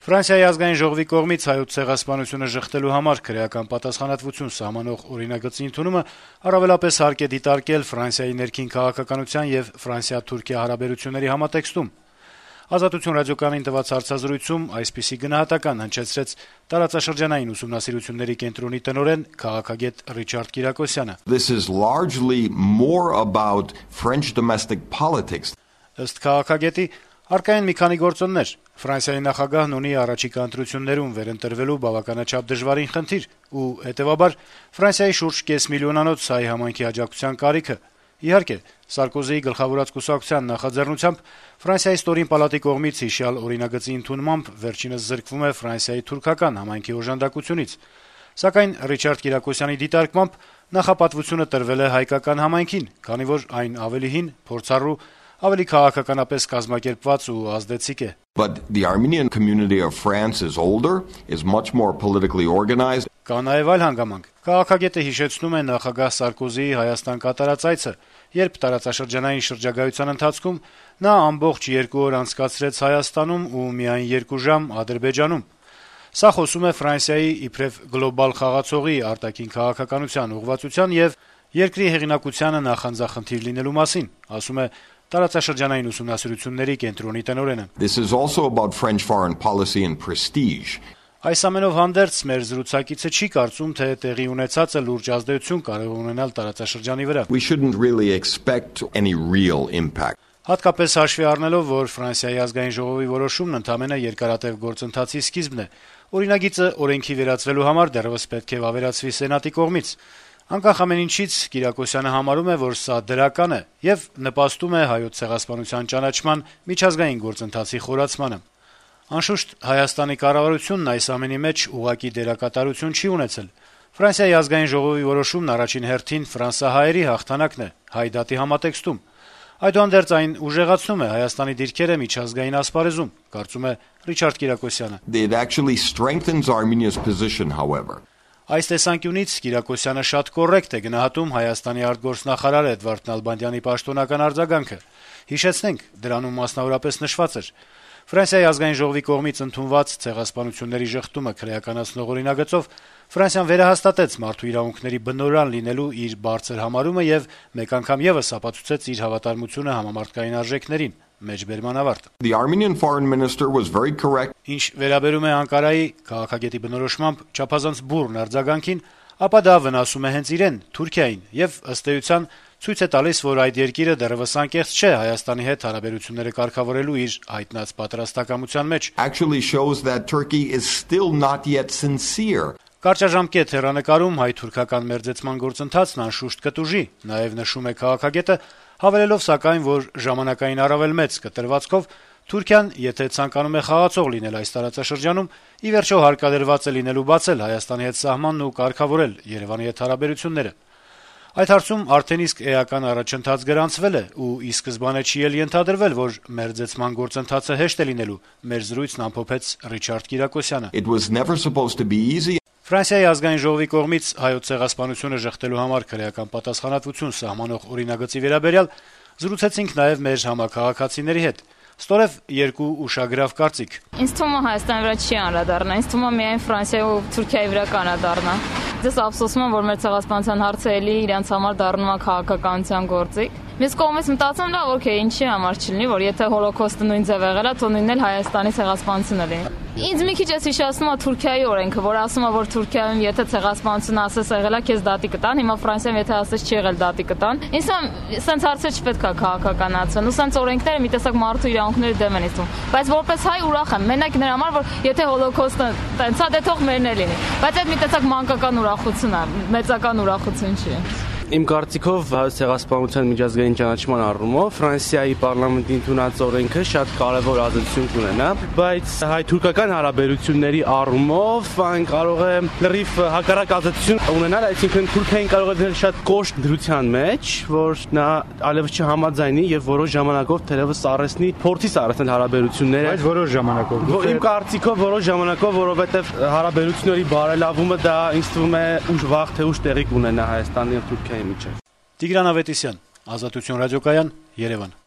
Ֆրանսիայի ազգային ժողովի կողմից հայոց ցեղասպանությունը ժխտելու համար քրեական պատասխանատվություն սահմանող օրինագծի ընդունումը առավելապես հարկ է դիտարկել Ֆրանսիայի ներքին քաղաքականության եւ Ֆրանսիա-Թուրքիա հարաբերությունների համատեքստում։ Ազատություն ռադիոկայանին տված հարցազրույցում այսպիսի գնահատական հնչեցրեց տարածաշրջանային ուսումնասիրությունների կենտրոնի տնօրեն քաղաքագետ Ռիչարդ Կիրակոսյանը։ This is largely more about French domestic politics. Ըստ քաղաքագետի առկա են մի քանի գործոններ։ Ֆրանսիայի նախագահն ունի առաջիկա ընտրություններում վերընտրվելու բավականաչափ դժվարին խնդիր ու հետեւաբար Ֆրանսիայի շուրջ կես միլիոնանոց հայ համայնքի աջակցության կարիքը։ Իհարկե, Սարկոզիի գլխավորած կուսակցության նախաձեռնությամբ Ֆրանսիայի ստորին պալատի կողմից հիշյալ օրինագծի ընդունմամբ վերջինս զրկվում է Ֆրանսիայի թուրքական համայնքի օժանդակությունից։ Սակայն Ռիչարդ Կիրակոսյանի դիտարկմամբ նախապատվությունը տրվել է հայկական համայնքին, քանի որ այն ավելի հին, փորձառու, ավելի քաղաքականապես կազմակերպված ու ազդեցիկ է։ But the Armenian community of France is older, is much more politically organized. Կա նաև այլ հանգամանք։ Քաղաքագետը հիշեցնում է նախագահ Սարկոզիի Հայաստան կատարած այցը, երբ տարածաշրջանային շրջագայության ընթացքում նա ամբողջ 2 օր անցկացրեց Հայաստանում ու միայն 2 ժամ Ադրբեջանում։ Սա խոսում է Ֆրանսիայի իբրև գլոբալ խաղացողի արտաքին քաղաքականության ուղղվածության եւ երկրի հեղինակությանը նախանձախնդիր լինելու մասին, ասում է տարածաշրջանային ուսումնասիրությունների կենտրոնի տնօրենը։ This is also about French foreign policy and prestige. Այս ամենով հանդերձ մեր զրուցակիցը չի կարծում, թե տեղի ունեցածը լուրջ ազդեցություն կարող ունենալ տարածաշրջանի վրա։ We shouldn't really expect any real impact. Հատկապես հաշվի առնելով, որ Ֆրանսիայի ազգային ժողովի որոշումն ընդամենը երկարատև գործընթացի սկիզբն է։ Օրինագիծը օրենքի վերածվելու համար դեռևս պետք է վավերացվի Սենատի կողմից։ Անկախ ամեն ինչից Կիրակոսյանը համարում է, որ սա դրական է եւ նպաստում է հայոց ցեղասպանության ճանաչման միջազգային գործընթացի խորացմանը։ Անշուշտ Հայաստանի կառավարությունն այս ամենի մեջ ուղղակի դերակատարություն չի ունեցել։ Ֆրանսիայի ազգային ժողովի որոշումն առաջին հերթին ֆրանսահայերի հաղթանակն է հայ դատի համատեքստում։ Այդուհանդերձ այն ուժեղացնում է Հայաստանի դիրքերը միջազգային ասպարեզում, կարծում է Ռիչարդ Կիրակոսյանը։ It actually strengthens Armenia's position, however. Այս տեսանկյունից Կիրակոսյանը շատ կոռեկտ է գնահատում Հայաստանի արտգործնախարար Էդվարդ Նալբանդյանի պաշտոնական արձագանքը։ Հիշեցնենք, դրանում մասնավորապես նշված էր. Ֆրանսիայի ազգային ժողովի կողմից ընդունված ցեղասպանությունների ժխտումը քրեականացնող օրինագծով Ֆրանսիան վերահաստատեց մարդու իրավունքների բնօրրան լինելու իր բարձր համարումը եւ մեկ անգամ եւս ապացուցեց իր հավատարմությունը համամարտկային արժեքներին։ Մեջբերման ավարտ։ The Armenian foreign minister was very correct. Ինչ վերաբերում է Անկարայի քաղաքագետի բնորոշմամբ չափազանց բուռն արձագանքին, ապա դա վնասում է հենց իրեն, Թուրքիային, եւ ըստ էության ցույց է տալիս, որ այդ երկիրը դեռևս անկեղծ չէ Հայաստանի հետ հարաբերությունները կարգավորելու իր հայտնած պատրաստակամության մեջ։ Actually shows that Turkey is still not yet sincere. Կարճաժամկետ հեռանկարում հայ-թուրքական մերձեցման գործընթացն անշուշտ կտուժի, նաեւ նշում է քաղաքագետը, հավելելով սակայն, որ ժամանակային առավել մեծ կտրվածքով Թուրքիան, եթե ցանկանում է խաղացող լինել այս տարածաշրջանում, ի վերջո հարկադրված է լինելու բացել Հայաստանի հետ սահմանն ու կարգավորել Երևանի հետ հարաբերությունները։ Այդ հարցում արդեն իսկ էական առաջընթաց գրանցվել է ու ի սկզբանե չի էլ ենթադրվել, որ մերձեցման գործընթացը հեշտ է լինելու, մեր զրույցն ամփոփեց Ռիչարդ Կիրակոսյանը։ It was never supposed to be easy. Ֆրանսիայի ազգային ժողովի կողմից հայոց ցեղասպանությունը ժխտելու համար քրեական պատասխանատվություն սահմանող օրինագծի վերաբերյալ զրուցեցինք նաև մեր համակարգացիների հետ։ Ստորև երկու ուշագրավ կարծիք։ Ինձ թվում է Հայաստանի վրա չի անդրադառնա, ինձ թվում է միայն Ֆրանսիայի ու Թուրքիայի վրա կանադառնա։ Ես ափսոսում եմ, որ մեր ցեղասպանության հարցը էլի իրենց համար դառնում է քաղաքականության գործիք։ Ես կողմից մտածում լավ, օքեյ, ինչի համար չլինի, որ եթե հոլոկոստը նույն ձև եղել է, թող նույնն էլ Հայաստանի ցեղասպանությունը լինի։ Ինձ մի քիչ էս հիշեցնում է Թուրքիայի օրենքը, որ ասում է, որ Թուրքիայում եթե ցեղասպանություն ասես եղել է, քեզ դատի կտան, հիմա Ֆրանսիայում եթե ասես չի եղել, դատի կտան։ Ինձ սենց հարցեր չպետք է քաղաքականացվեն, ու սենց օրենքները մի տեսակ մարդու իրավունքների դեմ են իստում։ Բայց որպես հայ ուրախ եմ, մենակ նրա համար, որ եթե հոլոկոստը տենց է, դե թող մերն է լինի։ Բայց այդ մի տեսակ մանկական ուրախություն է, մեծական ուրախություն չի։ Իմ կարծիքով հայոց ցեղասպանության միջազգային ճանաչման առումով Ֆրանսիայի պարլամենտի ընդունած օրենքը շատ կարևոր ազդեցություն կունենա, բայց հայ-թուրքական հարաբերությունների առումով այն կարող է լրիվ հակառակ ազդեցություն ունենալ, այսինքն Թուրքիան կարող է դնել շատ կոշտ դրության մեջ, որ նա այլևս չհամաձայնի եւ որոշ ժամանակով թերևս սառեցնի, փորձի սառեցնել հարաբերությունները։ Բայց որոշ ժամանակով։ Իմ կարծիքով որոշ ժամանակով, որովհետեւ հարաբերությունների բարելավումը դա ինձ թվում է ուշ վաղ թե ուշ տեղի կունենա Հայաստանի եւ Թուրքիայի միջեւ։ Տիգրան Ավետիսյան, Ազատություն ռադիոկայան, Երևան։